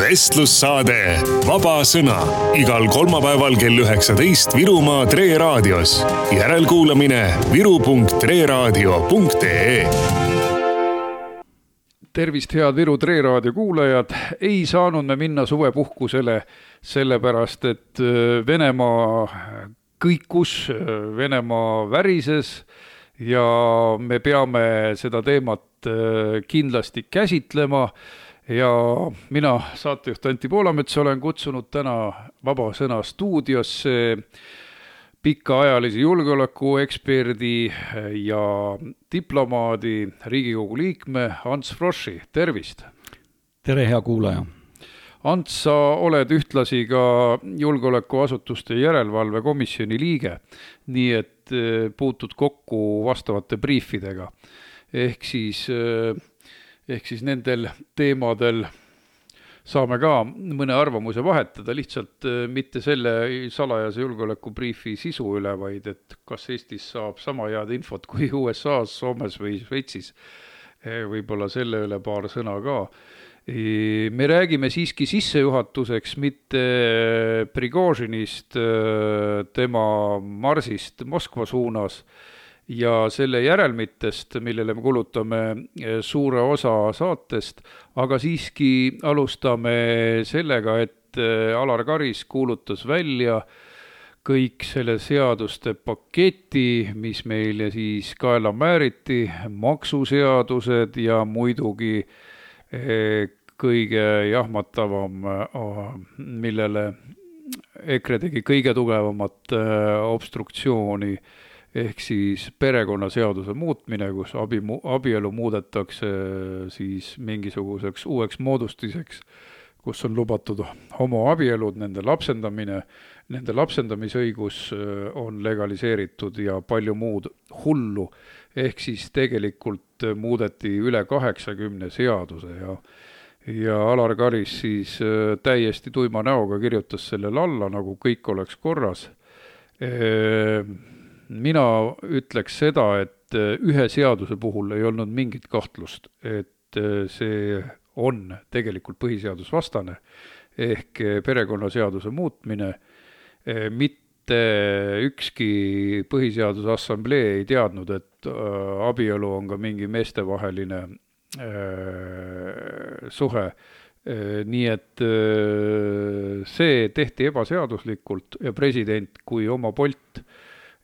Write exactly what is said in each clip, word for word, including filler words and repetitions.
vestlussaade Vaba sõna igal kolmapäeval kell üheksateist Virumaa Tre Raadios. Järelkuulamine viru punkt tre raadio punkt ee. Tervist, head Viru Tre Raadio kuulajad. Ei saanud me minna suvepuhkusele sellepärast, et Venemaa kõikus, Venemaa värises ja me peame seda teemat kindlasti käsitlema. Ja mina, saatejuht Antti Poolamets, olen kutsunud täna Vaba sõna stuudiosse pikaajalise julgeolekueksperdi ja diplomaadi, Riigikogu liikme Ants Froschi. Tervist! Tere, hea kuulaja! Ants, sa oled ühtlasi ka julgeolekuasutuste järelevalvekomisjoni liige, nii et puutud kokku vastavate briifidega. Ehk siis, ehk siis nendel teemadel saame ka mõne arvamuse vahetada, lihtsalt mitte selle salajase julgeolekubriifi sisu üle, vaid et kas Eestis saab sama head infot kui U S A-s, Soomes või Šveitsis. Võib-olla selle üle paar sõna ka. Me räägime siiski sissejuhatuseks mitte Prigožinist, tema marsist Moskva suunas ja selle järelmitest, millele me kulutame suure osa saatest, aga siiski alustame sellega, et Alar Karis kuulutas välja kõik selle seaduste paketi, mis meile siis kaela määriti, maksuseadused ja muidugi kõige jahmatavam, millele EKRE tegi kõige tugevamat obstruktsiooni, ehk siis perekonnaseaduse muutmine, kus abi, abielu muudetakse siis mingisuguseks uueks moodustiseks, kus on lubatud homoabielud, nende lapsendamine, nende lapsendamisõigus on legaliseeritud ja palju muud hullu. Ehk siis tegelikult muudeti üle kaheksakümne seaduse ja, ja Alar Karis siis täiesti tuima näoga kirjutas sellele alla, nagu kõik oleks korras. Mina ütleks seda, et ühe seaduse puhul ei olnud mingit kahtlust, et see on tegelikult põhiseadusvastane ehk perekonnaseaduse muutmine. Mitte ükski põhiseaduse assamblee ei teadnud, et abielu on ka mingi meestevaheline suhe. Nii et see tehti ebaseaduslikult ja president kui oma Bolt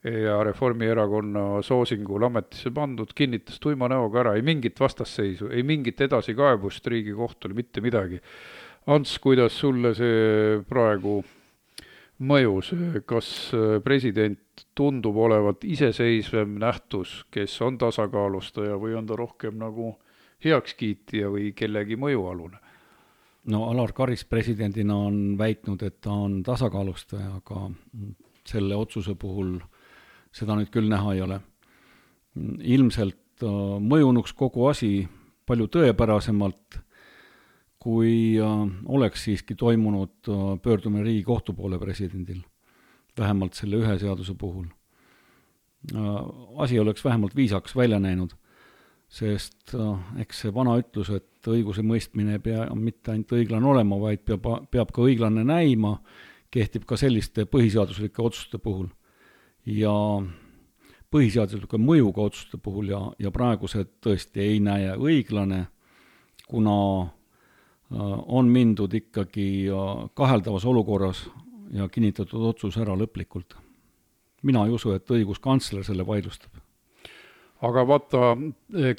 ja Reformierakonna soosingul ametisse pandud kinnitas tuima näoga ära, ei mingit vastasseisu, ei mingit edasikaebust Riigikohtule, mitte midagi. Ants, kuidas sulle see praegu mõjus? Kas president tundub olevat iseseisvem nähtus, kes on tasakaalustaja või on ta rohkem nagu heakskiitja või kellegi mõjualune? No Alar Karis presidendina on väitnud, et ta on tasakaalustaja, aga selle otsuse puhul seda nüüd küll näha ei ole. Ilmselt mõjunuks kogu asi palju tõepärasemalt, kui oleks siiski toimunud pöördumine Riigikohtu poole presidendil, vähemalt selle ühe seaduse puhul. Asi oleks vähemalt viisaks välja näinud, sest eks see vana ütlus, et õiguse mõistmine ei pea mitte ainult õiglane olema, vaid peab, peab ka õiglane näima, kehtib ka selliste põhiseaduslike otsuste puhul. Ja põhiseaduslike mõjuga otsuste puhul ja, ja praegu see tõesti ei näe õiglane, kuna on mindud ikkagi kaheldavas olukorras ja kinnitatud otsus ära lõplikult. Mina ei usu, et õiguskantsler selle vaidlustab. Aga vaata,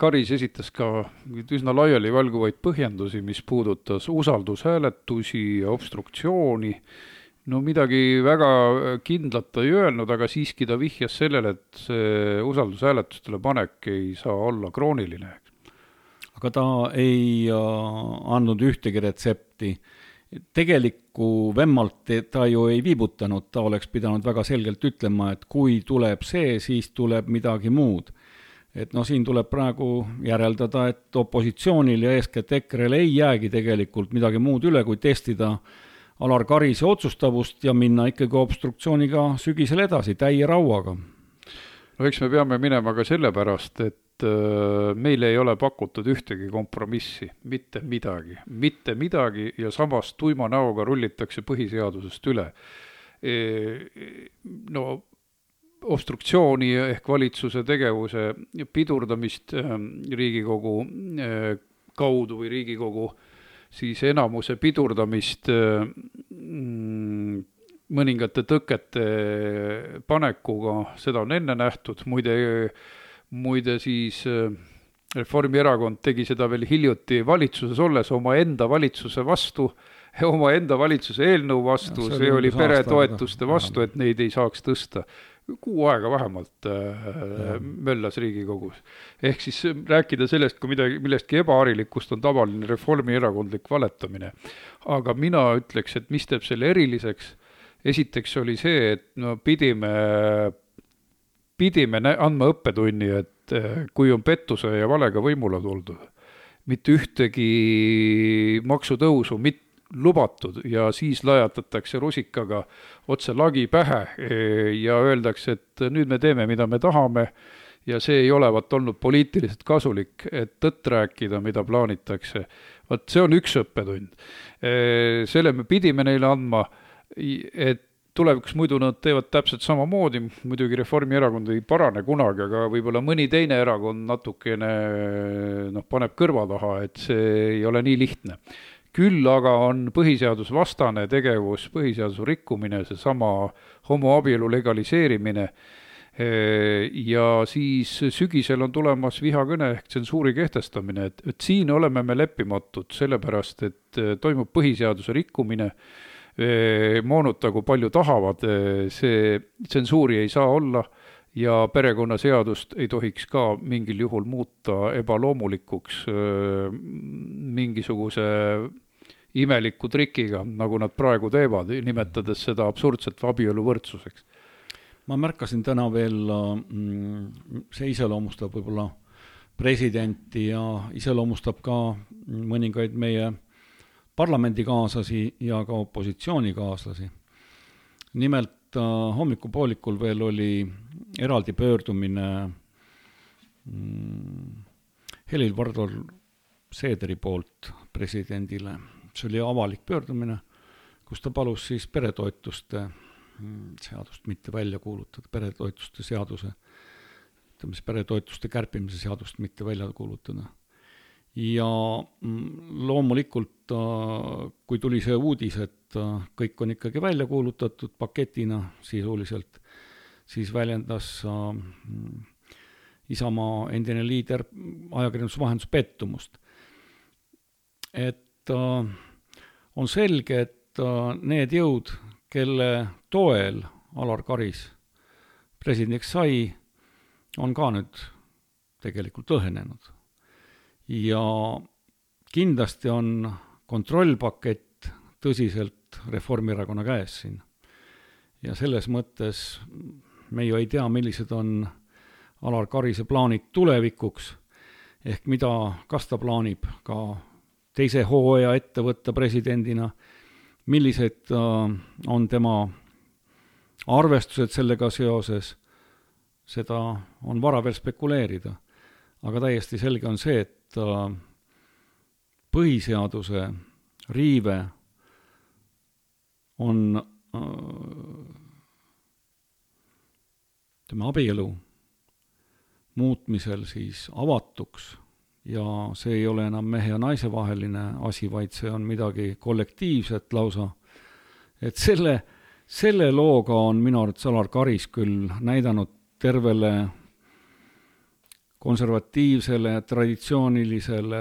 Karis esitas ka üsna laiali valguvaid põhjendusi, mis puudutas usaldushääletusi ja obstruktsiooni. No midagi väga kindlat ei öelnud, aga siiski ta vihjas sellele, et see usaldushääletustele panek ei saa olla krooniline. Aga ta ei andnud ühtegi retsepti. Tegelikku vemmalt ta ju ei viibutanud, ta oleks pidanud väga selgelt ütlema, et kui tuleb see, siis tuleb midagi muud. Et no siin tuleb praegu järeldada, et opositsioonil ja eeskätt EKRE-l ei jäägi tegelikult midagi muud üle, kui testida Alar Karise otsustavust ja minna ikkagi obstruktsiooniga sügisel edasi, täie rauaga. no eks me peame minema ka sellepärast, et meil ei ole pakutud ühtegi kompromissi, mitte midagi, mitte midagi ja samas tuima näoga rullitakse põhiseadusest üle. No obstruktsiooni ehk valitsuse tegevuse pidurdamist Riigikogu kaudu või Riigikogu siis enamuse pidurdamist mõningate tõkete panekuga, seda on enne nähtud, muide, muide siis Reformierakond tegi seda veel hiljuti valitsuses olles oma enda valitsuse vastu, oma enda valitsuse eelnõu vastu, ja see, see oli peretoetuste vastu, et neid ei saaks tõsta. Kuu aega vähemalt äh, möllas Riigikogus. Ehk siis rääkida sellest, kui midagi, millestki ebaharilikust on tavaline reformierakondlik valetamine. Aga mina ütleks, et mis teeb selle eriliseks, esiteks oli see, et no pidime, pidime andma õppetunni, et kui on pettuse ja valega võimule tuldud, mitte ühtegi maksutõusu mitte lubatud ja siis lajatatakse rusikaga otse lagi pähe ja öeldakse, et nüüd me teeme, mida me tahame ja see ei olevat olnud poliitiliselt kasulik, et tõtt rääkida, mida plaanitakse. Vaat see on üks õppetund. Selle me pidime neile andma, et tulevikus muidu nad teevad täpselt samamoodi, muidugi Reformierakond ei parane kunagi, aga võib-olla mõni teine erakond natukene noh, paneb kõrva taha, et see ei ole nii lihtne. Küll aga on põhiseadusvastane tegevus, põhiseaduse rikkumine, see sama homoabielu legaliseerimine ja siis sügisel on tulemas vihakõne ehk tsensuuri kehtestamine, et, et siin oleme me leppimatud sellepärast, et toimub põhiseaduse rikkumine, moonutagu palju tahavad, see tsensuuri ei saa olla ja perekonnaseadust ei tohiks ka mingil juhul muuta ebaloomulikuks mingisuguse imeliku trikiga, nagu nad praegu teevad, nimetades seda absurdset abielu võrdsuseks. Ma märkasin täna veel, see iseloomustab võib-olla presidenti ja iseloomustab ka mõningaid meie parlamendikaaslasi ja ka opositsioonikaaslasi. Nimelt hommikupoolikul veel oli eraldi pöördumine Helir-Valdor Seederi poolt presidendile. See oli avalik pöördumine, kus ta palus siis peretoetuste seadust mitte välja kuulutada, peretoetuste seaduse, ütleme, peretoetuste kärpimise seadust mitte välja kuulutada. Ja loomulikult, kui tuli see uudis, et kõik on ikkagi välja kuulutatud paketina sisuliselt, siis väljendas Isamaa endine liider ajakirjandusvahendus pettumust. Et on selge, et need jõud, kelle toel Alar Karis presidendiks sai, on ka nüüd tegelikult õhenenud. Ja kindlasti on kontrollpakett tõsiselt Reformierakonna käes siin. Ja selles mõttes me ju ei tea, millised on Alar Karise plaanid tulevikuks, ehk mida, kas ta plaanib ka teise hooaja ette võtta presidendina, millised on tema arvestused sellega seoses, seda on vara veel spekuleerida. Aga täiesti selge on see, et põhiseaduse riive on ütleme, abielu muutmisel siis avatuks ja see ei ole enam mehe ja naise vaheline asi, vaid see on midagi kollektiivset lausa. Et selle, selle looga on minu arvates Alar Karis küll näidanud tervele konservatiivsele, traditsioonilisele,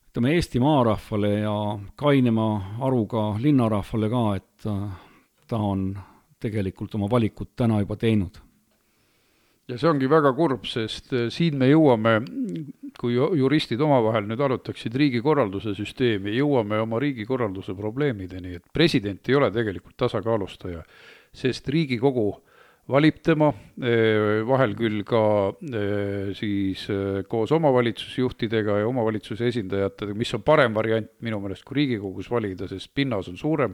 ütleme Eesti maarahvale ja kainema aruga linnarahvale ka, et ta on tegelikult oma valikut täna juba teinud. Ja see ongi väga kurb, sest siin me jõuame, kui juristid omavahel nüüd arutaksid riigikorralduse süsteemi, jõuame oma riigikorralduse probleemideni, et president ei ole tegelikult tasakaalustaja, sest Riigikogu valib tema, vahel küll ka siis koos omavalitsusjuhtidega ja omavalitsuse esindajatega, mis on parem variant minu meelest kui Riigikogus valida, sest pinnas on suurem,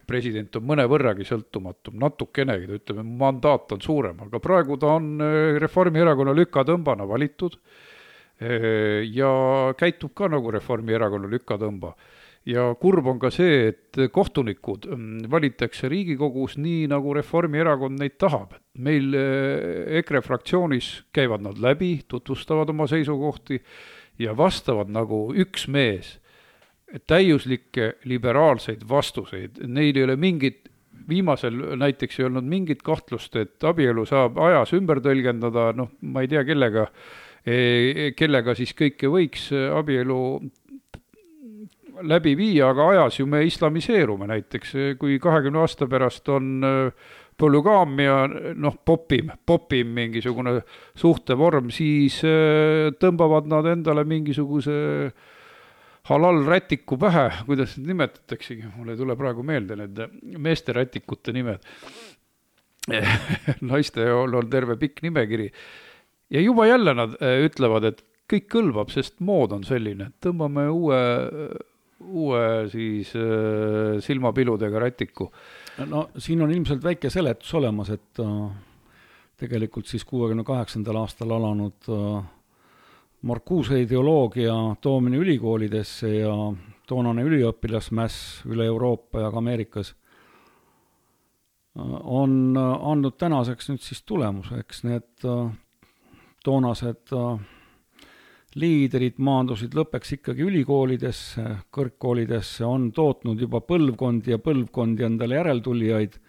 president on mõne võrragi sõltumatum, natukenegi, ta ütleme, mandaat on suurem, aga praegu ta on Reformierakonna lükatõmbana valitud ja käitub ka nagu Reformierakonna lükatõmba. Ja kurb on ka see, et kohtunikud valitakse Riigikogus nii, nagu Reformierakond neid tahab. Meil EKRE fraktsioonis käivad nad läbi, tutvustavad oma seisukohti ja vastavad nagu üks mees täiuslikke liberaalseid vastuseid. Neil ei ole mingit, viimasel näiteks ei olnud mingit kahtlust, et abielu saab ajas ümber tõlgendada, noh, ma ei tea kellega, kellega siis kõike võiks abielu läbi viia, aga ajas ju me islamiseerume näiteks, kui kahekümne aasta pärast on polügaamia, noh, popim, popim mingisugune suhtevorm, siis tõmbavad nad endale mingisuguse halal rätiku pähe, kuidas need nimetataksegi, mulle ei tule praegu meelde need meeste rätikute nimed. Naiste on terve pikk nimekiri. Ja juba jälle nad ütlevad, et kõik kõlbab, sest mood on selline, et tõmbame uue, uue siis silmapiludega rätiku. No siin on ilmselt väike seletus olemas, et tegelikult siis kuuekümne kaheksandal aastal alanud Marcuse ideoloogia toomine ülikoolidesse ja toonane üliõpilasmäss üle Euroopa ja ka Ameerikas on andnud tänaseks nüüd siis tulemuseks. Need toonased liidrid maandusid lõpeks ikkagi ülikoolidesse, kõrgkoolidesse, on tootnud juba põlvkondi ja põlvkondi endale järeltulijaid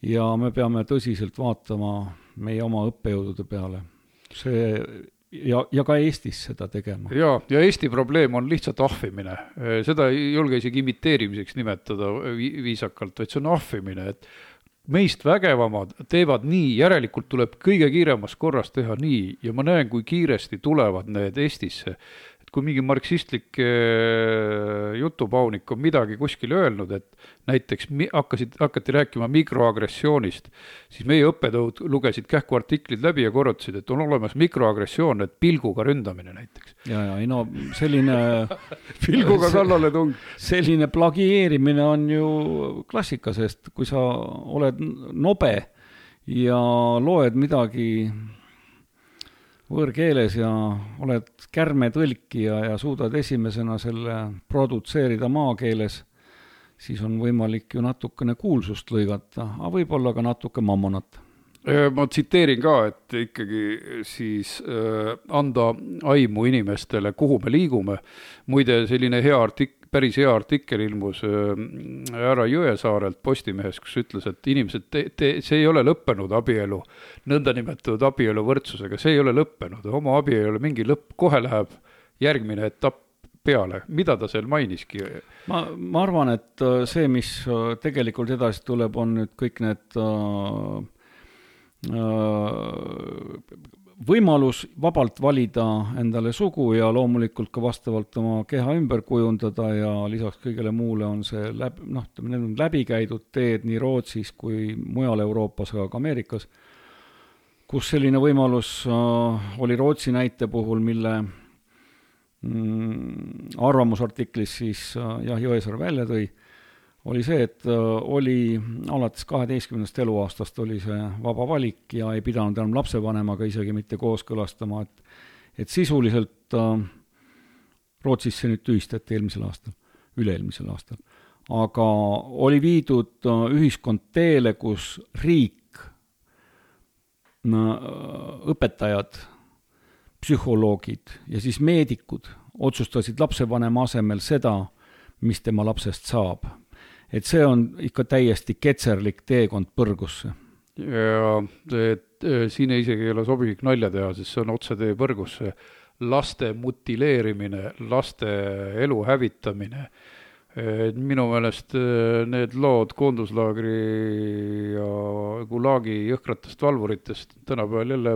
ja me peame tõsiselt vaatama meie oma õppejõudude peale. See Ja, ja ka Eestis seda tegema. Ja, ja Eesti probleem on lihtsalt ahvimine. Seda ei julge isegi imiteerimiseks nimetada viisakalt, vaid see on ahvimine, et meist vägevamad teevad nii, järelikult tuleb kõige kiiremas korras teha nii ja ma näen, kui kiiresti tulevad need Eestisse. Et kui mingi marksistlik jutupaunik on midagi kuskil öelnud, et näiteks hakkasid, hakati rääkima mikroagressioonist, siis meie õppetõud lugesid kähku artiklid läbi ja korrutasid, et on olemas mikroagressioon, et pilguga ründamine näiteks. Ja, ja, ei no selline pilguga kallale tung. Selline plagieerimine on ju klassika, sest kui sa oled nobe ja loed midagi võõrkeeles ja oled kärmetõlki ja, ja suudad esimesena selle produtseerida maakeeles, siis on võimalik ju natukene kuulsust lõigata, aga võib-olla ka natuke mammonat. Ma tsiteerin ka, et ikkagi siis äh, anda aimu inimestele, kuhu me liigume. Muide, selline hea artik- päris hea artikkel ilmus härra Jõesaarelt Postimehes, kus ütles, et inimesed, te, te, see ei ole lõppenud abielu, nõndanimetatud abielu võrdsusega, see ei ole lõppenud, oma abi ei ole mingi lõpp, kohe läheb järgmine etapp peale. Mida ta seal mainiski? Ma, ma arvan, et see, mis tegelikult edasi tuleb, on nüüd kõik need äh, äh, võimalus vabalt valida endale sugu ja loomulikult ka vastavalt oma keha ümber kujundada ja lisaks kõigele muule on see läbi, noh, need on läbikäidud teed nii Rootsis kui mujal Euroopas, aga ka Ameerikas, kus selline võimalus äh, oli Rootsi näite puhul, mille mm, arvamusartiklis siis äh, jah, Jõesaar välja tõi, oli see, et oli alates kaheteistkümnest eluaastast oli see vaba valik ja ei pidanud enam lapsevanemaga isegi mitte kooskõlastama, et, et sisuliselt äh, Rootsis see nüüd tühistati eelmisel aastal, üle-eelmisel aastal. Aga oli viidud äh, ühiskond teele, kus riik, äh, õpetajad, psühholoogid ja siis meedikud otsustasid lapsevanema asemel seda, mis tema lapsest saab. Et see on ikka täiesti ketserlik teekond põrgusse. Ja et, siin ei isegi ei ole sobivik nalja teha, sest see on otse tee põrgusse. Laste mutileerimine, laste elu hävitamine. Et minu meelest need lood koonduslaagri ja Gulagi jõhkratest valvuritest tänapäeval jälle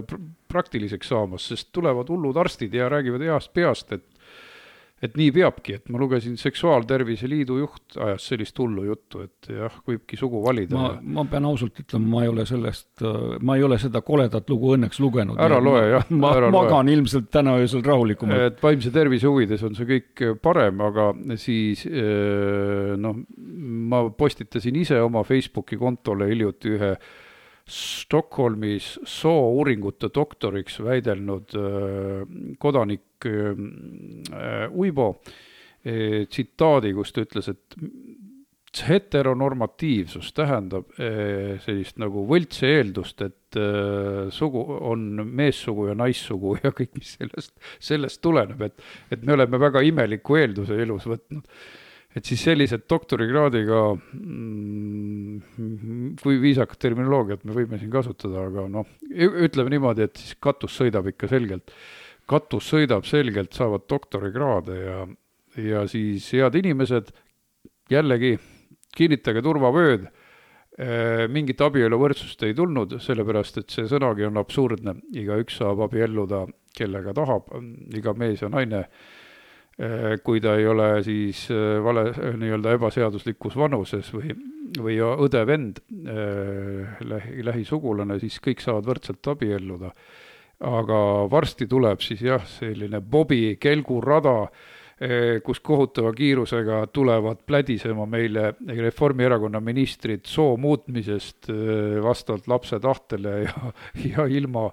praktiliseks saamas, sest tulevad hullud arstid ja räägivad heast peast, et et nii peabki, et ma lugesin Seksuaaltervise Liidu juht ajas sellist hullu juttu, et jah, võibki sugu valida. Ma, ma pean ausalt ütlema, ma ei ole sellest, ma ei ole seda koledat lugu õnneks lugenud. Ära loe, jah. Ma ära magan loe. ilmselt täna öösel rahulikumalt. Et vaimse tervise huvides on see kõik parem, aga siis noh, ma postitasin ise oma Facebooki kontole hiljuti ühe Stockholmis soo-uuringute doktoriks väidelnud kodanik Uibo tsitaadi, kus ta ütles, et heteronormatiivsus tähendab sellist nagu võltse eeldust, et sugu on meessugu ja naissugu ja kõik, mis sellest, sellest tuleneb, et, et me oleme väga imeliku eelduse elus võtnud. Et siis sellised doktorikraadiga, kui viisakat terminoloogiat me võime siin kasutada, aga noh, ütleme niimoodi, et siis katus sõidab ikka selgelt. Katus sõidab selgelt, saavad doktorikraade ja, ja siis head inimesed, jällegi kinnitage turvavööd, mingit abieluvõrdsust ei tulnud, sellepärast, et see sõnagi on absurdne. Iga üks saab abielluda, kellega tahab, iga mees ja naine, kui ta ei ole siis vale, nii-öelda ebaseaduslikus vanuses või, või õde vend, lähi, lähisugulane, siis kõik saavad võrdselt abielluda. Aga varsti tuleb siis jah, selline Bobi kelgurada, kus kohutava kiirusega tulevad plädisema meile Reformierakonna ministrid soo muutmisest vastavalt lapse tahtele ja, ja ilma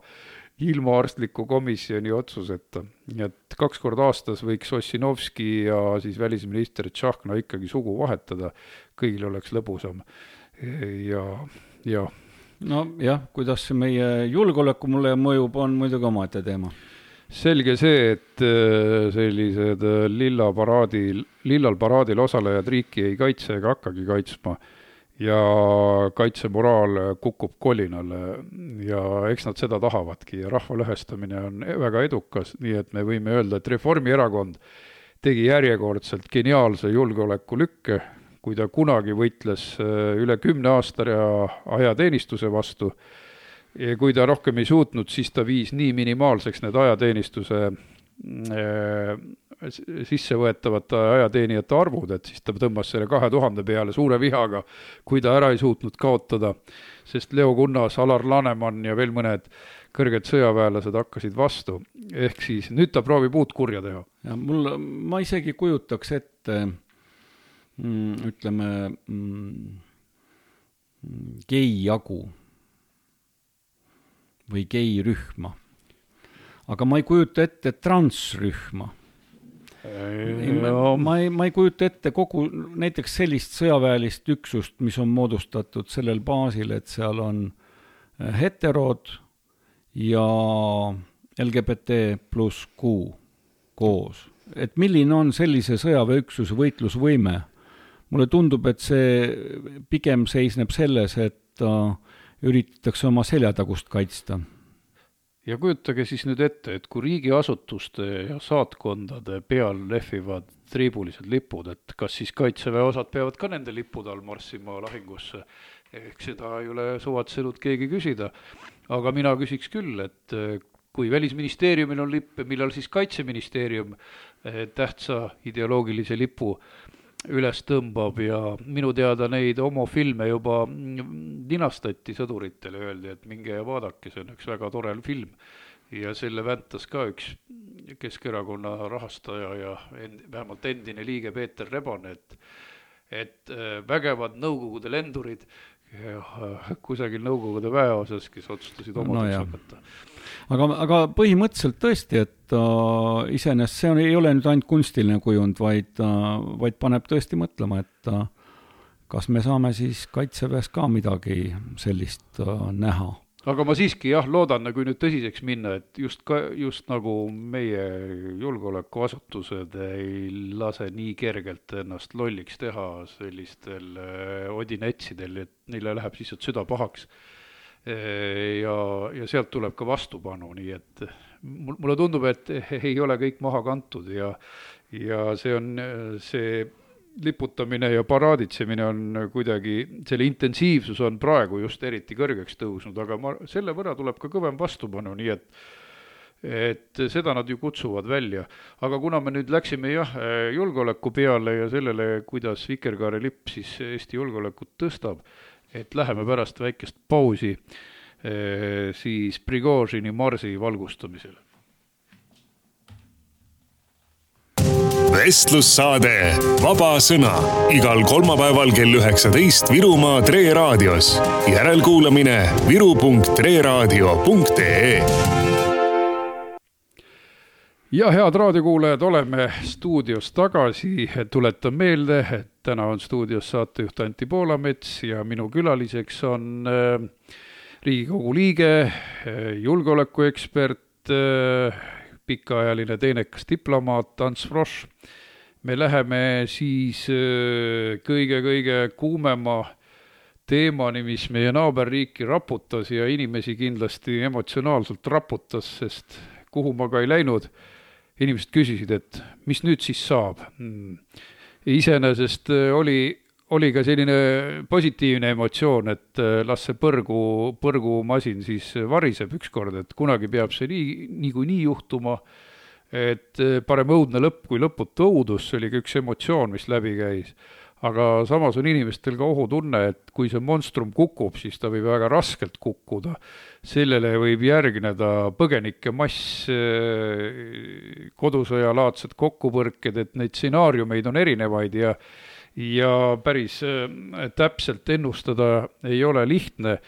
ilma arstliku komisjoni otsuseta. Et kaks korda aastas võiks Ossinovski ja siis välisminister Tšahkna ikkagi sugu vahetada. Kõigil oleks lõbusam. Ja, ja. No jah, kuidas see meie julgeoleku mulle mõjub, on muidugi omaette teema. Selge see, et sellised lilla paraadil, lillal paraadil osalejad riiki ei kaitse ega hakkagi kaitsma. Ja kaitsemoraal kukub kolinale ja eks nad seda tahavadki ja rahva lõhestamine on väga edukas, nii et me võime öelda, et Reformierakond tegi järjekordselt geniaalse julgeoleku lükke, kui ta kunagi võitles üle kümne aasta ja ajateenistuse vastu ja kui ta rohkem ei suutnud, siis ta viis nii minimaalseks need ajateenistuse sissevõetavate ajateenijate arvud, et siis ta tõmbas selle kahe tuhande peale suure vihaga, kui ta ära ei suutnud kaotada, sest Leo Kunnas, Alar Laneman ja veel mõned kõrged sõjaväelased hakkasid vastu. Ehk siis nüüd ta proovib uut kurja teha. Ja mul, ma isegi kujutaks ette, mm, ütleme, mm, gei-jagu või gei-rühma. Aga ma ei kujuta ette transrühma. Ma, ma, ei, ma ei kujuta ette kogu näiteks sellist sõjaväelist üksust, mis on moodustatud sellel baasil, et seal on heterod ja L G B T pluss Q koos. Et milline on sellise sõjaväeüksuse võitlusvõime? Mulle tundub, et see pigem seisneb selles, et üritatakse oma seljatagust kaitsta. Ja kujutage siis nüüd ette, et kui riigiasutuste ja saatkondade peal lehvivad triibulised lipud, et kas siis kaitseväe osad peavad ka nende lipud all marssima lahingusse, ehk seda ei ole suvatsenud keegi küsida. Aga mina küsiks küll, et kui välisministeeriumil on lipp, millal siis kaitseministeerium tähtsa ideoloogilise lipu üles tõmbab ja minu teada neid homofilme juba ninastati sõduritele, öeldi, et minge ja vaadake, see on üks väga tore film ja selle väntas ka üks Keskerakonna rahastaja ja end, vähemalt endine liige Peeter Rebane, et, et vägevad nõukogude lendurid ja kusagil nõukogude väeosas, kes otsustasid oma no hakata. Aga, aga põhimõtteliselt tõesti, et uh, iseenesest see on, ei ole nüüd ainult kunstiline kujund, vaid, uh, vaid paneb tõesti mõtlema, et uh, kas me saame siis kaitseväes ka midagi sellist uh, näha. Aga ma siiski jah loodan, kui nüüd tõsiseks minna, et just, ka, just nagu meie julgeolekuasutused ei lase nii kergelt ennast lolliks teha sellistel odinetsidel, et neile läheb siis süda pahaks. Ja, ja sealt tuleb ka vastupanu, nii et mulle tundub, et ei ole kõik maha kantud ja, ja see on see liputamine ja paraaditsemine on kuidagi, selle intensiivsus on praegu just eriti kõrgeks tõusnud, aga ma, selle võrra tuleb ka kõvem vastupanu, nii et et seda nad ju kutsuvad välja. Aga kuna me nüüd läksime jah, julgeoleku peale ja sellele, kuidas Vikerkaare lipp siis Eesti julgeolekut tõstab, et läheme pärast väikest pausi siis Prigožini marsi valgustamisele. Vestlussaade Vaba sõna igal kolmapäeval kell üheksateist Virumaa Tre Raadios. Järelkuulamine viru punkt tre raadio punkt ee. Ja head raadiokuulajad, oleme stuudios tagasi. Tuletan meelde, et täna on stuudios saatejuht Anti Poolamets ja minu külaliseks on Riigikogu liige, julgeolekuekspert, pikaajaline teenekas diplomaat Ants Frosch. Me läheme siis kõige-kõige kuumema teemani, mis meie naaberriiki raputas ja inimesi kindlasti emotsionaalselt raputas, sest kuhu ma ka ei läinud, inimesed küsisid, et mis nüüd siis saab. Iseenesest oli, oli ka selline positiivne emotsioon, et las see põrgu, põrgumasin siis variseb ükskord, et kunagi peab see nii, nii kui nii juhtuma, et parem õudne lõpp kui lõputu õudus, see oli ka üks emotsioon, mis läbi käis. Aga samas on inimestel ka ohutunne, et kui see monstrum kukub, siis ta võib väga raskelt kukkuda. Sellele võib järgneda põgenike mass, kodusõjalaadsed kokkupõrked, et neid stsenaariumeid on erinevaid ja, ja päris täpselt ennustada ei ole lihtne,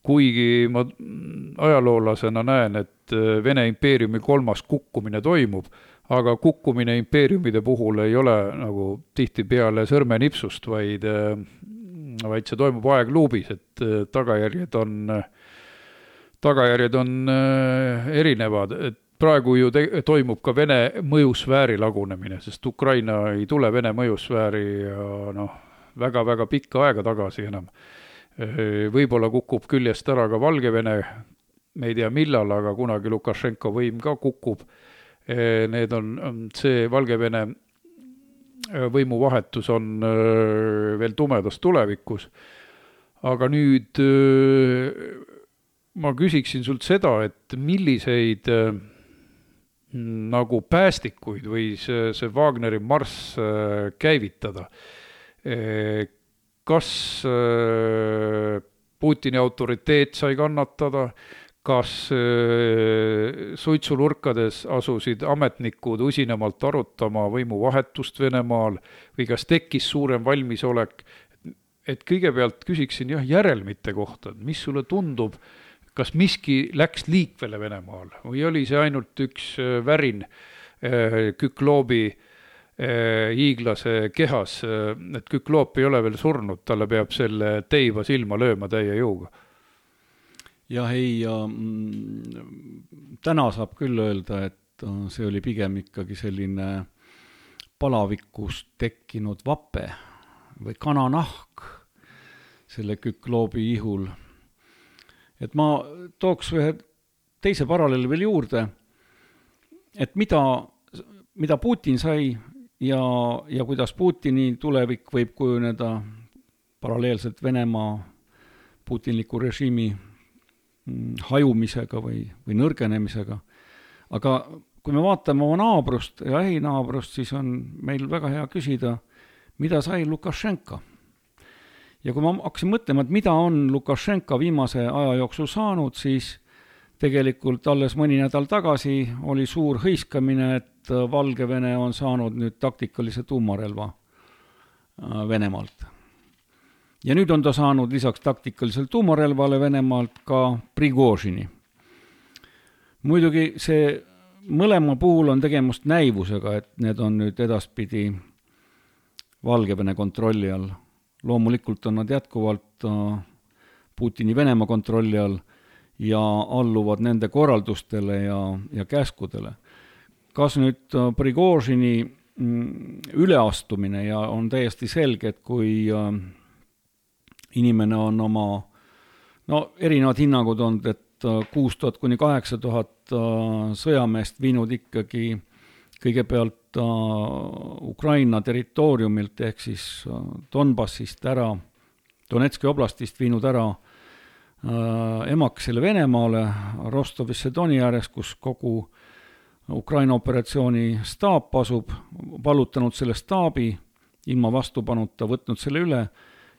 kuigi ma ajaloolasena näen, et Vene impeeriumi kolmas kukkumine toimub, aga kukkumine impeeriumide puhul ei ole nagu tihti peale sõrmenipsust, vaid, vaid see toimub aegluubis, et tagajärjed on, tagajärjed on erinevad. Et praegu ju te, toimub ka Vene mõjusfääri lagunemine, sest Ukraina ei tule Vene mõjusfääri ja noh, väga-väga pikka aega tagasi enam. Võib-olla kukub küljest ära ka Valgevene, me ei tea millal, aga kunagi Lukašenko võim ka kukub. Need on, see Valgevene võimuvahetus on veel tumedas tulevikus. Aga nüüd ma küsiksin sult seda, et milliseid nagu päästikuid või see, see Wagneri marss käivitada. Kas Putini autoriteet sai kannatada? Kas suitsulurkades asusid ametnikud usinemalt arutama võimuvahetust Venemaal või kas tekkis suurem valmisolek? Et kõigepealt küsiksin jah, järelmite kohta, mis sulle tundub, kas miski läks liikvele Venemaal või oli see ainult üks värin Kükloobi hiiglase kehas, et Kükloop ei ole veel surnud, talle peab selle teiva silma lööma täie jõuga. Jah, ei, ja, täna saab küll öelda, et see oli pigem ikkagi selline palavikust tekkinud vape või kananahk selle Kükloobi ihul. Et ma tooks ühe teise paralleeli veel juurde, et mida, mida Putin sai ja, ja kuidas Putini tulevik võib kujuneda paralleelselt Venemaa putinliku režiimi hajumisega või, või nõrgenemisega. Aga kui me vaatame oma naabrust ja lähinaabrust, siis on meil väga hea küsida, mida sai Lukašenka. Ja kui ma hakkasin mõtlema, et mida on Lukašenka viimase aja jooksul saanud, siis tegelikult alles mõni nädal tagasi oli suur hõiskamine, et Valgevene on saanud nüüd taktikalise tuumarelva Venemaalt. Ja nüüd on ta saanud lisaks taktikalisel tuumarelvale Venemaalt ka Prigožini. Muidugi see mõlema puhul on tegemust näivusega, et need on nüüd edaspidi Valgevene kontrolli all. Loomulikult on nad jätkuvalt Putini Venemaa kontrolli all ja alluvad nende korraldustele ja, ja käskudele. Kas nüüd Prigožini üleastumine ja on täiesti selge, et kui inimene on oma, no erinevad hinnangud on, et kuus tuhat kuni kaheksa tuhat sõjameest viinud ikkagi kõigepealt Ukraina territooriumilt ehk siis Donbassist ära, Donetski oblastist viinud ära emakesele Venemaale Rostovisse Doni ääres, kus kogu Ukraina operatsiooni staap asub, vallutanud selle staabi, ilma vastupanuta võtnud selle üle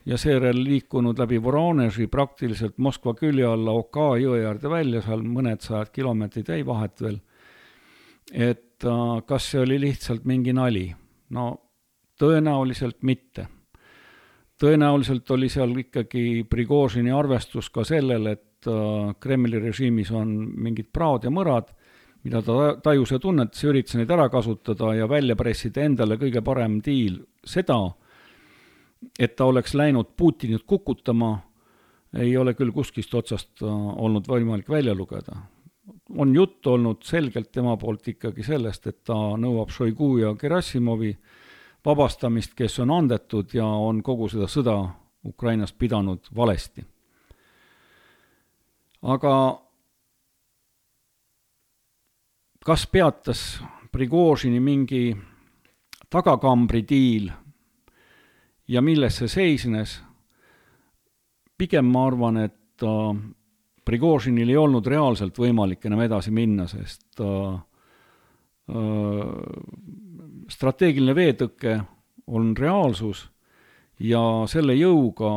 ja seejärel liikunud läbi Voroneži praktiliselt Moskva külje alla Oka jõe äärde välja, seal mõned sajad kilomeetrid jäi vahet veel. Et kas see oli lihtsalt mingi nali? No tõenäoliselt mitte. Tõenäoliselt oli seal ikkagi Prigožini arvestus ka sellel, et Kremli režiimis on mingid praod ja mõrad, mida ta tajus ja tunnetas ja üritas neid ära kasutada ja välja pressida endale kõige parem diil. Seda, et ta oleks läinud Putinit kukutama, ei ole küll kuskist otsast olnud võimalik välja lugeda. On jutt olnud selgelt tema poolt ikkagi sellest, et ta nõuab Šoigu ja Gerassimovi vabastamist, kes on andetud ja on kogu seda sõda Ukrainas pidanud valesti. Aga kas peatas Prigožini mingi tagakambri diil ja milles see seisnes? Pigem ma arvan, et Prigožinil ei olnud reaalselt võimalik enam edasi minna, sest strateegiline veetõkke on reaalsus ja selle jõuga,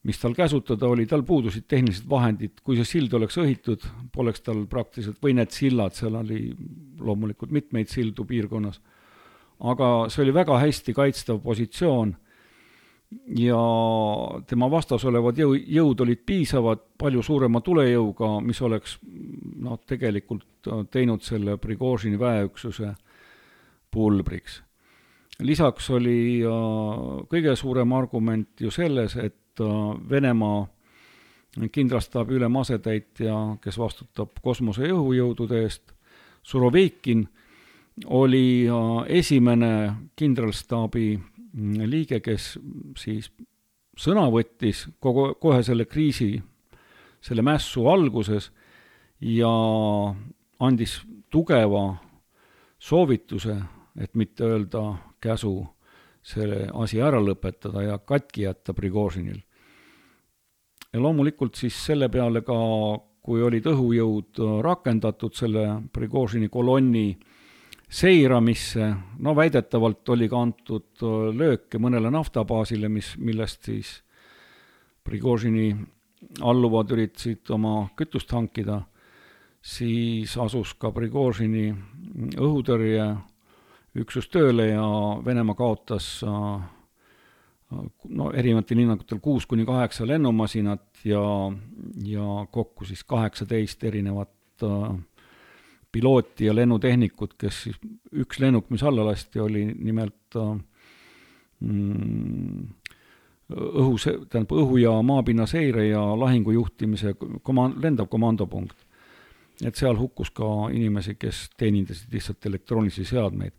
mis tal käsutada oli, tal puudusid tehnilised vahendid. Kui see sild oleks õhitud, poleks tal praktiliselt, või need sillad, seal oli loomulikult mitmeid sildu piirkonnas, aga see oli väga hästi kaitstav positsioon ja tema vastas olevad jõu, jõud olid piisavad palju suurema tulejõuga, mis oleks no, tegelikult teinud selle Prigožini väeüksuse pulbriks. Lisaks oli kõige suurem argument ju selles, et Venemaa kindralstaabi ülem asetäitja, kes vastutab kosmose ja õhujõudude eest, Suroveikin, oli esimene kindralstaabi liige, kes siis sõna võttis kogu, kohe selle kriisi, selle mässu alguses ja andis tugeva soovituse, et mitte öelda käsu selle asi ära lõpetada ja katki jätta Prigožinil. Ja loomulikult siis selle peale ka, kui olid õhujõud rakendatud selle Prigožini kolonni seiramisse, no väidetavalt oli ka antud lööke mõnele naftabaasile, mis, millest siis Prigožini alluvad üritasid oma kütust hankida, siis asus ka Prigožini õhutõrje üksus tööle ja Venemaa kaotas no, erinevatel hinnangutel kuus kuni kaheksa lennumasinat ja, ja kokku siis kaheksateist erinevat äh, pilooti ja lennutehnikut, kes siis üks lennuk, mis alla lasti, oli nimelt äh, mm, õhu, tähendab, õhu- ja maapinna seire ja lahingujuhtimise koma, lendav komandopunkt. Et seal hukkus ka inimesi, kes teenindasid lihtsalt elektroonilisi seadmeid.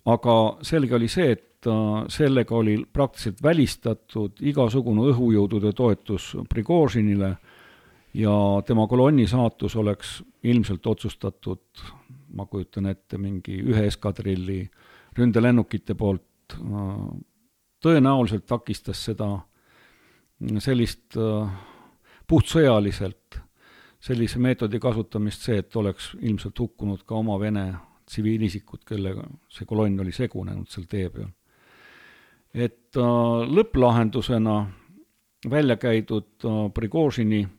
Aga selge oli see, et sellega oli praktiliselt välistatud igasugune õhujõudude toetus Prigožinile ja tema kolonni saatus oleks ilmselt otsustatud, ma kujutan ette, mingi ühe eskadrilli ründelennukite poolt. Tõenäoliselt takistas seda sellist puhtsõjaliselt sellise meetodi kasutamist see, et oleks ilmselt hukkunud ka oma Vene tsiviilisikud, kellega see kolonn oli segunenud seal tee peal. Et äh, lõpplahendusena välja käidud äh, Prigožini äh,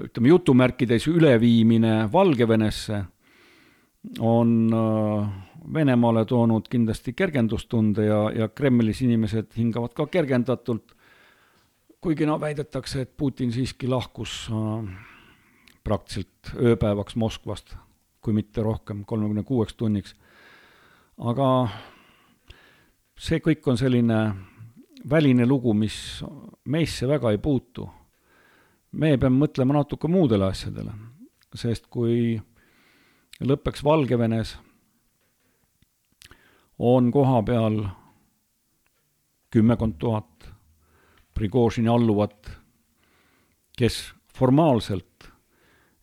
ütleme jutumärkides üleviimine Valgevenesse on äh, Venemaale toonud kindlasti kergendustunde ja, ja Kremlis inimesed hingavad ka kergendatult, kuigi no väidetakse, et Putin siiski lahkus äh, praktiliselt ööpäevaks Moskvast, kui mitte rohkem, kolmekümne kuueks tunniks. Aga see kõik on selline väline lugu, mis meisse väga ei puutu. Me peame mõtlema natuke muudele asjadele, sest kui lõppeks Valgevenes on koha peal kümmekond tuhat Prigožini alluvat, kes formaalselt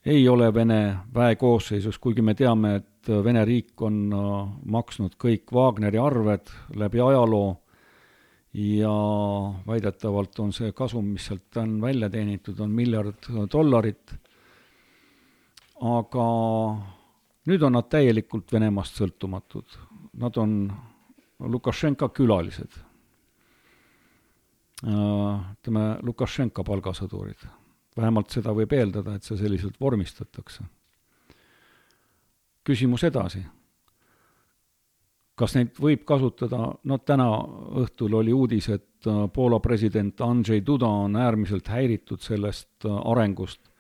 ei ole Vene väe koosseisus, kuigi me teame, et Vene riik on maksnud kõik Wagneri arved läbi ajaloo ja väidetavalt on see kasum, mis sealt on välja teenitud, on miljard dollarit, aga nüüd on nad täielikult Venemaast sõltumatud. Nad on Lukašenka külalised. Ütleme, Lukašenka palgasõdurid. Vähemalt seda võib eeldada, et see selliselt vormistatakse. Küsimus edasi. Kas neid võib kasutada? No täna õhtul oli uudis, et Poola president Andrzej Duda on äärmiselt häiritud sellest arengust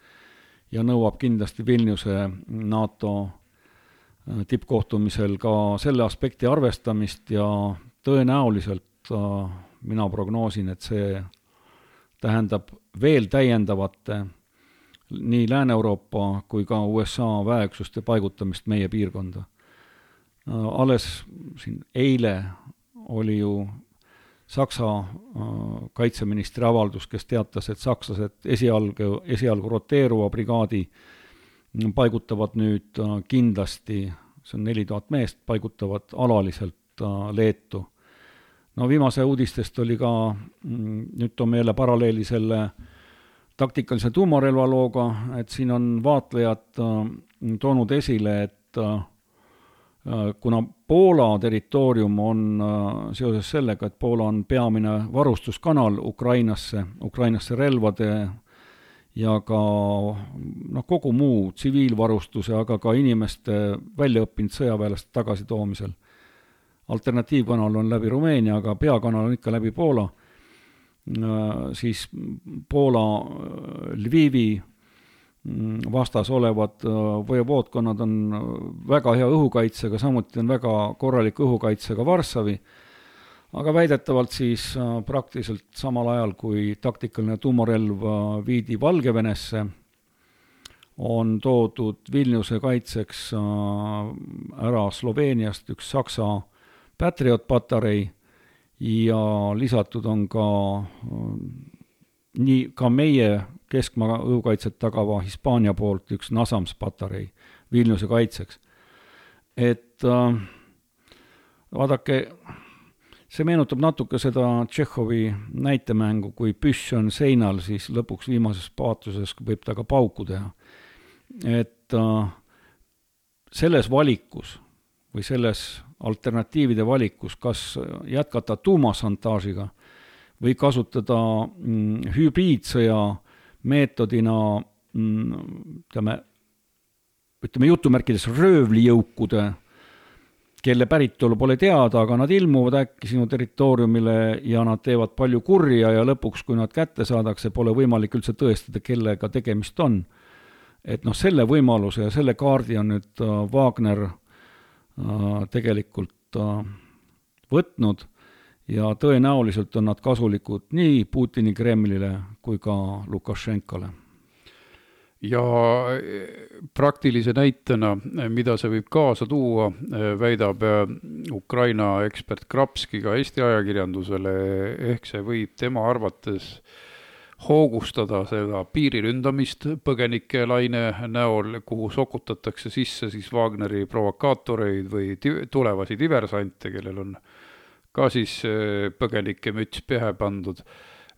ja nõuab kindlasti Vilniuse NATO tippkohtumisel ka selle aspekti arvestamist ja tõenäoliselt mina prognoosin, et see tähendab veel täiendavate nii Lääne-Euroopa kui ka U S A väeüksuste paigutamist meie piirkonda. Alles siin eile oli ju Saksa kaitseministri avaldus, kes teatas, et sakslased esialgu, esialgu roteeruva brigaadi paigutavad nüüd kindlasti, see on neli tuhat meest, paigutavad alaliselt Leetu. No viimase uudistest oli ka, nüüd toome jälle paralleeli selle taktikalise tuumarelva looga, et siin on vaatlejad toonud esile, et kuna Poola territoorium on seoses sellega, et Poola on peamine varustuskanal Ukrainasse, Ukrainasse relvade ja ka no, kogu muu tsiviilvarustuse, aga ka inimeste väljaõppinud sõjaväelast tagasi toomisel. Alternatiivkanal on läbi Rumeenia, aga peakanal on ikka läbi Poola. Siis Poola Lvivi vastas olevad vojevoodkonnad on väga hea õhukaitsega, samuti on väga korralik õhukaitsega Varssavi, aga väidetavalt siis praktiliselt samal ajal, kui taktikaline tuumarelv viidi Valgevenesse, on toodud Vilniuse kaitseks ära Sloveeniast üks Saksa Patriot patarei ja lisatud on ka nii ka meie keskmaa õhukaitset tagava Hispaania poolt üks Nasams patarei Vilniuse kaitseks. Et äh, vaadake, see meenutab natuke seda Tšehhovi näitemängu, kui püss on seinal, siis lõpuks viimases paatuses võib ta ka pauku teha. Et äh, selles valikus või selles alternatiivide valikus, kas jätkata tuumasantaažiga või kasutada mm, hübriidsõja meetodina mm, ütleme, ütleme jutumärkides röövlijõukude, kelle päritolu pole teada, aga nad ilmuvad äkki sinu territooriumile ja nad teevad palju kurja ja lõpuks, kui nad kätte saadakse, pole võimalik üldse tõestada, kellega tegemist on. Et noh, selle võimaluse ja selle kaardi on nüüd uh, Wagner uh, tegelikult uh, võtnud ja tõenäoliselt on nad kasulikud nii Putini Kremlile kui ka Lukašenkale. Ja praktilise näitena, mida see võib kaasa tuua, väidab Ukraina ekspert Krapski ka Eesti ajakirjandusele, ehk see võib tema arvates hoogustada seda piiriründamist põgenike laine näol, kuhu sokutatakse sisse siis Wagneri provokaatoreid või tulevasi diversante, kellel on ka siis põgenike müts pähe pandud.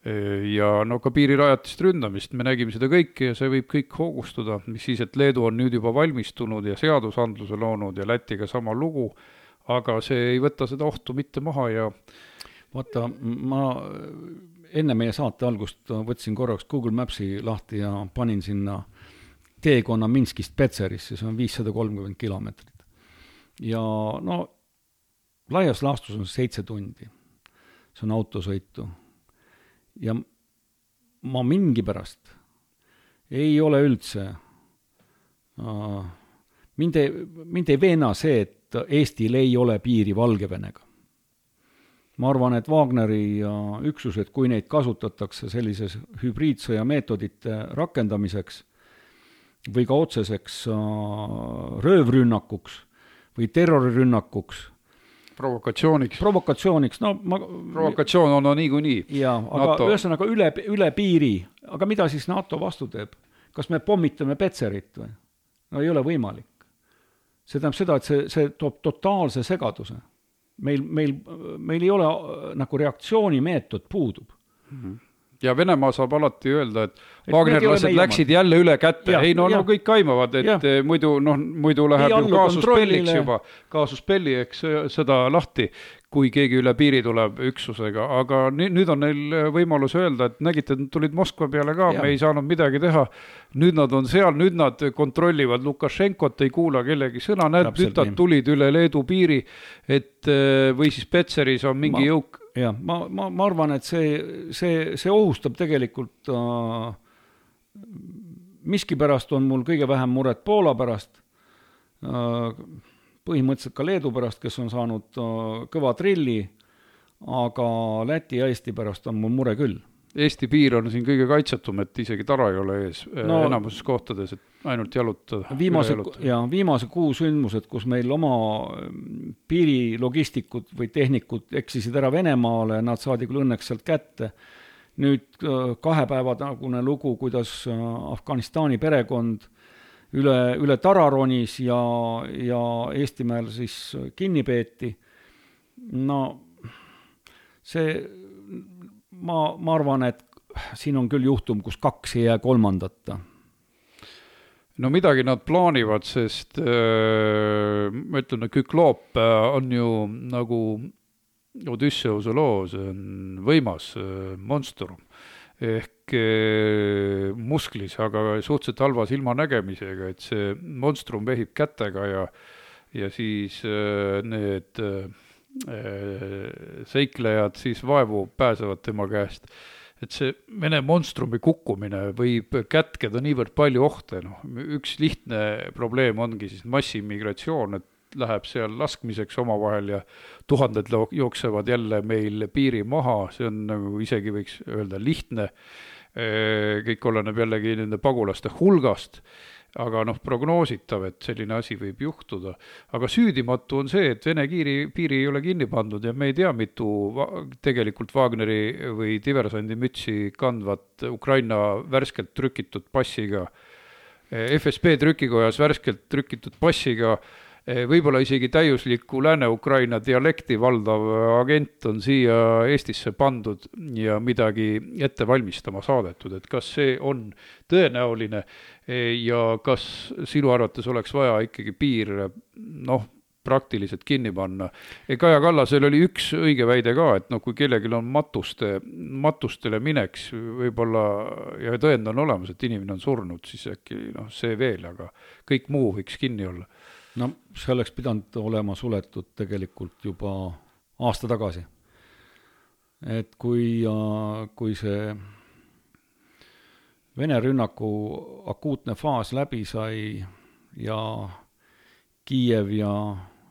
Ja no ka piirirajatist ründamist, me nägime seda kõike ja see võib kõik hoogustuda, mis siis, et Leedu on nüüd juba valmistunud ja seadusandluse loonud ja Lätiga sama lugu, aga see ei võta seda ohtu mitte maha ja vaata, ma enne meie saate algust võtsin korraks Google Mapsi lahti ja panin sinna teekonna Minskist Petserisse, see on viissada kolmkümmend kilomeetrit. Ja no laias laastus on seitse tundi. See on autosõitu. Ja ma mingi pärast ei ole üldse, uh, mind, ei, mind ei veena see, et Eestil ei ole piiri Valgevenega. Ma arvan, et Wagneri uh, üksused, kui neid kasutatakse sellises hübriidsõja meetodite rakendamiseks või ka otseseks uh, röövrünnakuks või terrorirünnakuks, provokatsiooniks. Provokatsiooniks, no ma... Provokatsioon on no, niikuinii. Jaa, aga NATO... ühesõnaga üle, üle piiri. Aga mida siis NATO vastu teeb? Kas me pommitame Petserit või? No ei ole võimalik. See tähendab seda, et see, see toob totaalse segaduse. meil, meil, meil ei ole nagu reaktsioonimeetod puudub. Mm-hmm. Ja Venemaa saab alati öelda, et, et Wagnerlased läksid jälle üle kätte. Ja, ei, no, no kõik kaimavad, et ja. muidu, no, muidu läheb ju kaasuspelliks juba. Kaasuspelli, eks seda lahti, kui keegi üle piiri tuleb üksusega. Aga nüüd on neil võimalus öelda, et nägite, et tulid Moskva peale ka, ja. me ei saanud midagi teha. Nüüd nad on seal, nüüd nad kontrollivad Lukašenkot, ei kuula kellegi sõna. Näed, nüüd nad tulid üle Leedu piiri, et või siis Petseris on mingi ma... jõuk. Ja, ma, ma, ma arvan, et see, see, see ohustab tegelikult äh, miski pärast on mul kõige vähem muret Poola pärast, äh, põhimõtteliselt ka Leedu pärast, kes on saanud äh, kõva trilli, aga Läti ja Eesti pärast on mul mure küll. Eesti piir on siin kõige kaitsetum, et isegi tara ei ole ees no, enamuses kohtades, et ainult jalutada. Viimase, ja, viimase kuu sündmused, kus meil oma piirilogistikud või tehnikud eksisid ära Venemaale, nad saadi küll õnneks sealt kätte. Nüüd kahe päeva tagune lugu, kuidas Afganistani perekond üle, üle Tararonis ja, ja Eestimäel siis kinni peeti. No see... Ma, ma arvan, et siin on küll juhtum, kus kaks ei jää kolmandata. No midagi nad plaanivad, sest äh, ma ütlen, et Kükloop on ju nagu Odysseuse loo, see on võimas äh, monstrum ehk äh, musklis, aga suhteliselt halva silmanägemisega, et see monstrum vehib kätega ja, ja siis äh, need... Äh, seiklejad siis vaevu pääsevad tema käest. Et see Vene monstrumi kukkumine võib kätkeda niivõrd palju ohte. No, üks lihtne probleem ongi siis massiimmigratsioon, et läheb seal laskmiseks omavahel ja tuhanded jooksevad jälle meil piiri maha. See on nagu isegi võiks öelda lihtne. Kõik oleneb jällegi nende pagulaste hulgast. Aga noh, prognoositav, et selline asi võib juhtuda. Aga süüdimatu on see, et Vene kiiri, piiri ei ole kinni pandud ja me ei tea, mitu tegelikult Wagneri või diversandi mütsi kandvat Ukraina värskelt trükitud passiga, F S B trükikojas värskelt trükitud passiga, võib-olla isegi täiusliku Lääne-Ukraina dialekti valdav agent on siia Eestisse pandud ja midagi ette valmistama saadetud, et kas see on tõenäoline ja kas sinu arvates oleks vaja ikkagi piir noh, praktiliselt kinni panna. Kaja Kallasel oli üks õige väide ka, et no, kui kellelgi on matuste, matustele mineks võib-olla ja tõend on olemas, et inimene on surnud, siis äkki no, see veel, aga kõik muu võiks kinni olla. No see oleks pidanud olema suletud tegelikult juba aasta tagasi. Et kui, kui see Vene rünnaku akuutne faas läbi sai ja Kiiev ja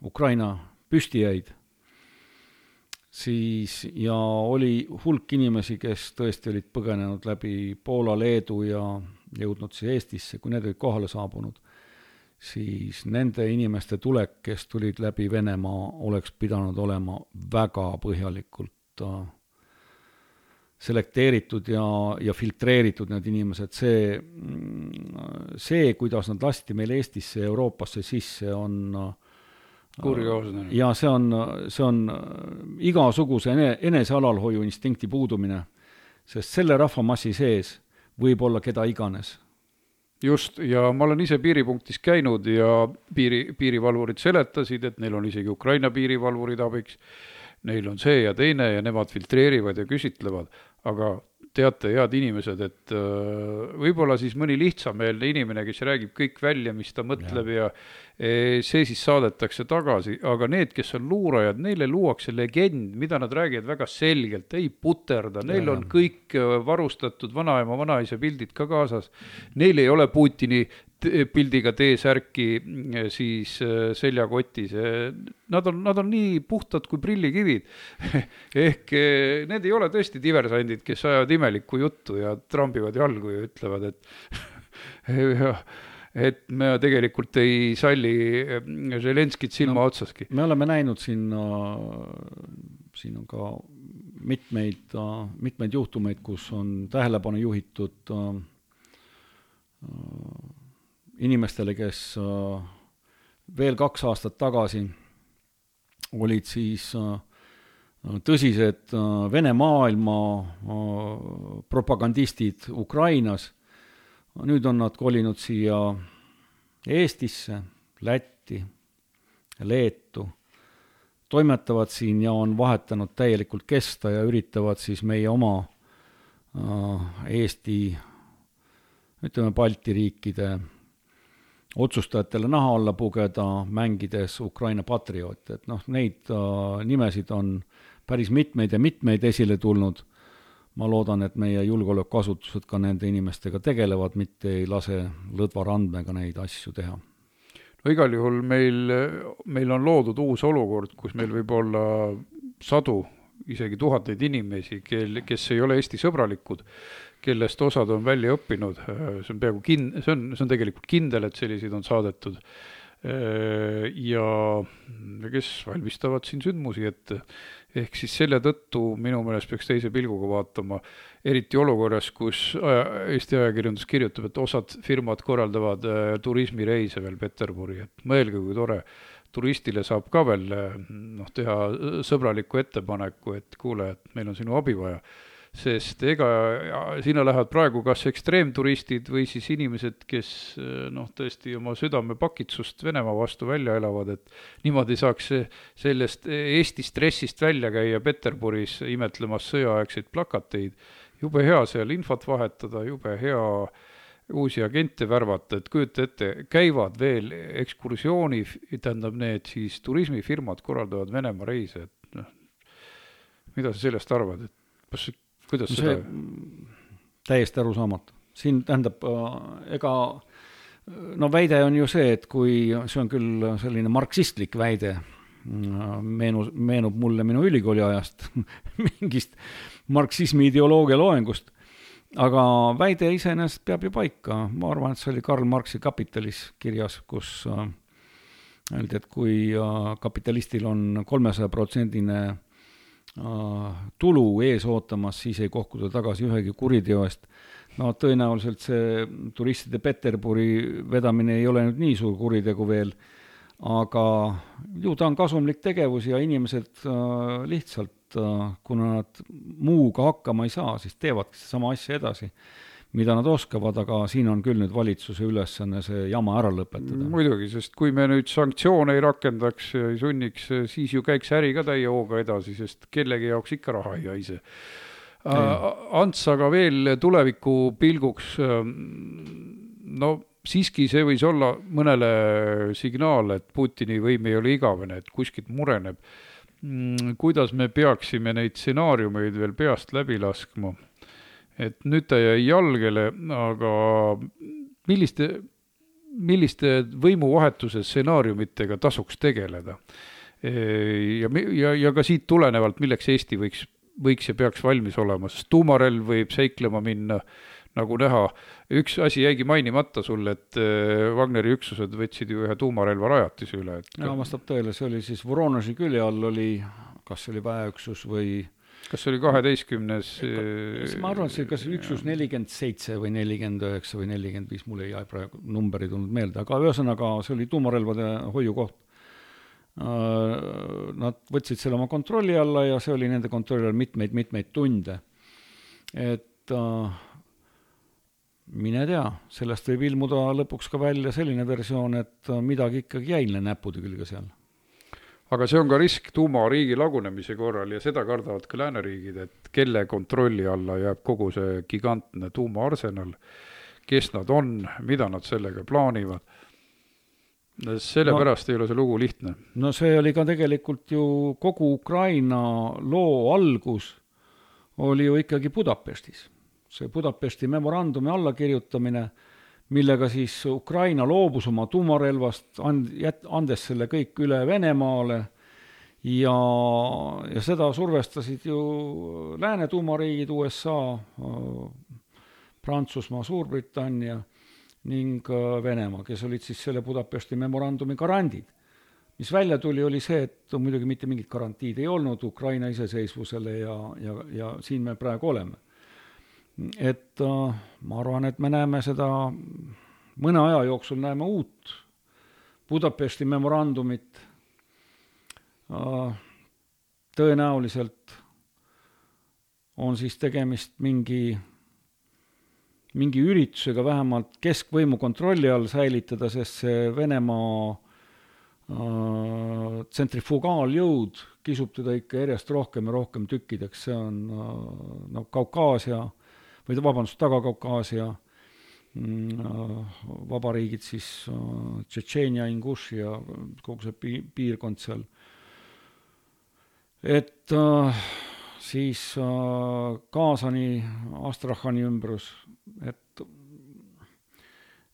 Ukraina püsti jäid, siis ja oli hulk inimesi, kes tõesti olid põgenenud läbi Poola, Leedu ja jõudnud siis Eestisse, kui need olid kohale saabunud, siis nende inimeste tulek, kes tulid läbi Venemaa, oleks pidanud olema väga põhjalikult selekteeritud ja, ja filtreeritud need inimesed. See, see, kuidas nad lasti meil Eestisse ja Euroopasse sisse, on kurioosne. Ja see on, see on igasuguse enesealalhoiu instinkti puudumine, sest selle rahvamassi sees võib olla keda iganes. Just, ja ma olen ise piiripunktis käinud ja piiri, piirivalvurid seletasid, et neil on isegi Ukraina piirivalvurid abiks, neil on see ja teine ja nemad filtreerivad ja küsitlevad, aga teate, head inimesed, et võib-olla siis mõni lihtsameelne inimene, kes räägib kõik välja, mis ta mõtleb ja, ja see siis saadetakse tagasi, aga need, kes on luurajad, neile luuakse legend, mida nad räägivad väga selgelt, ei puterda, neil ja, on kõik varustatud vanaema, vanaisa pildid ka kaasas, neil ei ole Putini pildiga T-särki siis seljakotis. Nad on, nad on nii puhtad kui prillikivid. Ehk need ei ole tõesti diversandid, kes ajavad imelikku juttu ja trambivad jalgu ja ütlevad, et, et me tegelikult ei salli Zelenskit silma no, otsaski. Me oleme näinud siin, siin on ka mitmeid, mitmeid juhtumeid, kus on tähelepanu juhitud inimestele, kes veel kaks aastat tagasi olid siis tõsised Vene maailma propagandistid Ukrainas. Nüüd on nad kolinud siia Eestisse, Lätti, Leetu, toimetavad siin ja on vahetanud täielikult kesta ja üritavad siis meie oma Eesti, ütleme Balti riikide otsustajatele naha alla pugeda, mängides Ukraina patrioote. Et noh, neid äh, nimesid on päris mitmeid ja mitmeid esile tulnud. Ma loodan, et meie julgeolekuasutused ka nende inimestega tegelevad, mitte ei lase lõdva randmega neid asju teha. No igal juhul meil, meil on loodud uus olukord, kus meil võib olla sadu, isegi tuhandeid inimesi, kel, kes ei ole Eesti sõbralikud, kellest osad on välja õppinud, see on peaaegu kin-, see on, see on tegelikult kindel, et selliseid on saadetud ja kes valmistavad siin sündmusi ette. Ehk siis selle tõttu minu meelest peaks teise pilguga vaatama, eriti olukorras, kus Eesti ajakirjandus kirjutab, et osad firmad korraldavad turismireise veel Peterburi, et mõelge, kui tore, turistile saab ka veel noh, teha sõbraliku ettepaneku, et kuule, et meil on sinu abi vaja. Sest ega sinna lähevad praegu kas ekstreemturistid või siis inimesed, kes noh, tõesti oma südame pakitsust Venemaa vastu välja elavad, et niimoodi saaks sellest Eesti stressist välja käia Peterburis imetlemas sõjaaegseid plakateid. Jube hea seal infot vahetada, jube hea uusi agente värvata, et kujuta ette, käivad veel ekskursiooni, tähendab need siis turismifirmad korraldavad Venemaa reise, et noh, mida sa sellest arvad, et kas kuidas no seda? Täiesti arusaamatu. Siin tähendab, ega no väide on ju see, et kui see on küll selline marksistlik väide, meenu, meenub mulle minu ülikooli ajast mingist marksismi ideoloogia loengust, aga väide iseenesest peab ju paika. Ma arvan, et see oli Karl Marxi Kapitalis kirjas, kus öeldi, et kui kapitalistil on kolmesaja protsendine tulu ees ootamas, siis ei kohkuda tagasi ühegi kuriteo eest. No tõenäoliselt see turistide Peterburi vedamine ei ole nüüd nii suur kuritegu veel, aga ju ta on kasumlik tegevus ja inimesed lihtsalt, kuna nad muuga hakkama ei saa, siis teevad sama asja edasi, mida nad oskavad, aga siin on küll nüüd valitsuse ülesanne see jama ära lõpetada. Muidugi, sest kui me nüüd sanktsioone ei rakendaks ja ei sunniks, siis ju käiks äri ka täie hooga edasi, sest kellegi jaoks ikka raha ei haise. Ants, aga veel tuleviku pilguks, no siiski see võis olla mõnele signaal, et Putini võim ei ole igavene, et kuskilt mureneb. Kuidas me peaksime neid stsenaariumeid veel peast läbi laskma? Et nüüd ta jäi jalgele, aga milliste, milliste võimuvahetuse stsenaariumitega tasuks tegeleda? Ja, ja, ja ka siit tulenevalt, milleks Eesti võiks, võiks ja peaks valmis olema, sest tuumarelv võib seiklema minna, nagu näha. Üks asi jäigi mainimata sulle, et Wagneri üksused võtsid ju ühe tuumarelva rajatise üle. Et... Ja, vastab tõele, see oli siis Voronoži külje all oli, kas see oli väeüksus või... Kas see oli kaheteistkümnes? Ma arvan, et see kas üksus nelikümmend seitse või nelikümmend üheksa või nelikümmend viis, mul ei jää praegu numberi tulnud meelde, aga ühesõnaga see oli tuumarelvade hoiukoht. Nad võtsid selle oma kontrolli alla ja see oli nende kontrolli all mitmeid, mitmeid tunde. Et mine tea, sellest võib ilmuda lõpuks ka välja selline versioon, et midagi ikkagi jäi näpude külge seal. Aga see on ka risk tuumariigi lagunemise korral ja seda kardavad ka lääneriigid, et kelle kontrolli alla jääb kogu see gigantne tuumaarsenal, kes nad on, mida nad sellega plaanivad. Selle no, pärast ei ole see lugu lihtne. No see oli ka tegelikult ju kogu Ukraina loo algus oli ju ikkagi Budapestis. See Budapesti memorandumi allakirjutamine, millega siis Ukraina loobus oma tuumarelvast, andes selle kõik üle Venemaale ja, ja seda survestasid ju lääne tuumariigid, U S A, Prantsusmaa, Suurbritannia ning Venemaa, kes olid siis selle Budapesti memorandumi garandid. Mis välja tuli, oli see, et muidugi mitte mingit garantiid ei olnud Ukraina iseseisvusele ja, ja, ja siin me praegu oleme. Et uh, ma arvan, et me näeme seda, mõne aja jooksul näeme uut Budapesti memorandumit. tõenäoliselt on siis tegemist mingi, mingi üritusega vähemalt keskvõimu kontrolli all säilitada, sest see Venemaa tsentrifugaaljõud kisub teda ikka järjest rohkem ja rohkem tükkideks. See on no, Kaukaasia või vabandust, Taga-Kaukaasia vabariigid, siis Tšetšeenia, Inguši ja kogu see piirkond seal. Et siis Kaasani, Astrahani ümbrus, et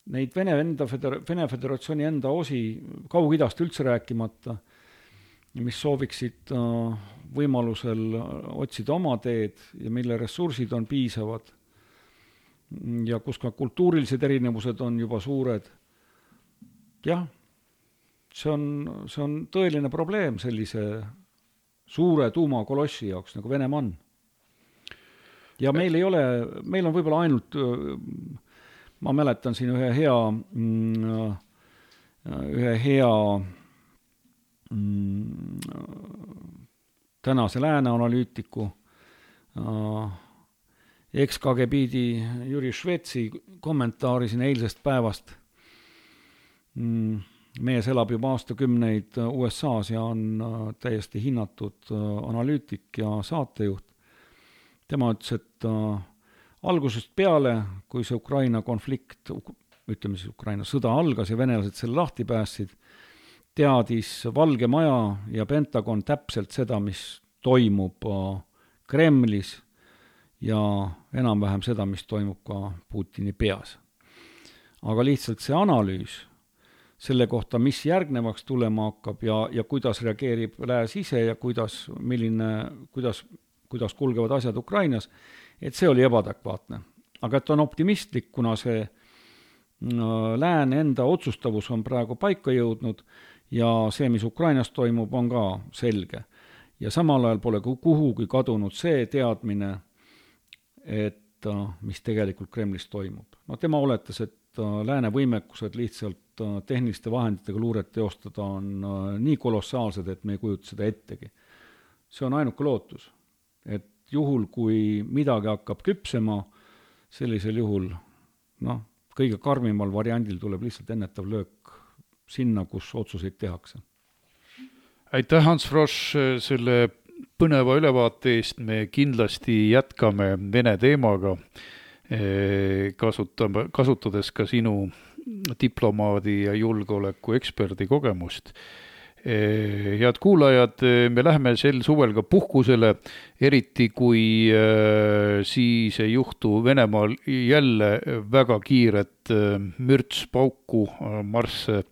neid Vene, enda feder- Vene Föderatsiooni enda osi Kaug-Idast üldse rääkimata, mis sooviksid võimalusel otsida oma teed ja mille ressursid on piisavad ja kus ka kultuurilised erinevused on juba suured. Jah, see on, see on tõeline probleem sellise suure tuumakolossi jaoks, nagu Venemaa on. Ja meil ei ole, meil on võib-olla ainult, ma mäletan siin ühe hea, ühe hea tänase lääne analüütiku, eks-KGB-di Jüri Švetsi kommentaari siin eilsest päevast. Mees elab juba aastakümneid U S A-s ja on täiesti hinnatud analüütik ja saatejuht. Tema ütles, et algusest peale, kui see Ukraina konflikt, ütleme siis Ukraina sõda algas ja venelased selle lahti päästsid, teadis Valge Maja ja Pentagon täpselt seda, mis toimub Kremlis ja enam-vähem seda, mis toimub ka Putini peas. Aga lihtsalt see analüüs selle kohta, mis järgnevaks tulema hakkab ja, ja kuidas reageerib lääs ise ja kuidas, milline, kuidas, kuidas kulgevad asjad Ukrainas, et see oli ebaadekvaatne. Aga et on optimistlik, kuna see lääne enda otsustavus on praegu paika jõudnud ja see, mis Ukrainas toimub, on ka selge. Ja samal ajal pole kuhugi kadunud see teadmine, et mis tegelikult Kremlis toimub. No tema oletas, et lääne võimekused lihtsalt tehniliste vahenditega luuret teostada on nii kolossaalsed, et me ei kujuta seda ettegi. See on ainuke lootus, et juhul, kui midagi hakkab küpsema, sellisel juhul, noh, kõige karmimal variandil tuleb lihtsalt ennetav löök sinna, kus otsuseid tehakse. Aitäh, Hans Frosch, selle põneva ülevaate eest. Me kindlasti jätkame Vene teemaga, kasutame, kasutades ka sinu diplomaadi ja julgeoleku eksperdi kogemust. Head kuulajad, me läheme sel suvel ka puhkusele, eriti kui siis ei juhtu Venemaal jälle väga kiiret mürtspauku marsse.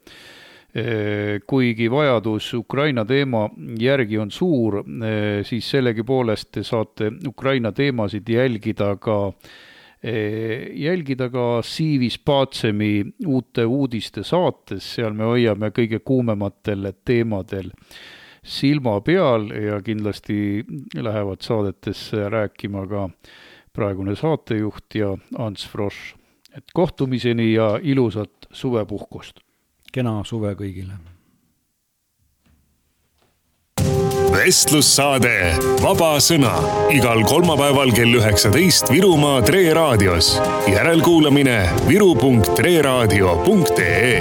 Kuigi vajadus Ukraina teema järgi on suur, siis sellegi poolest te saate Ukraina teemasid jälgida ka jälgida ka Siivis Paatsemi uute uudiste saates, seal me hoiame kõige kuumematel teemadel silma peal ja kindlasti lähevad saadetesse rääkima ka praegune saatejuht ja Hans Frosch. Et kohtumiseni ja ilusat suvepuhkust! Kena suve kõigile! Vestlussaade Vaba sõna igal kolmapäeval kell üheksateist Virumaa Tre Raadios. Järelkuulamine viru punkt tre raadio punkt ee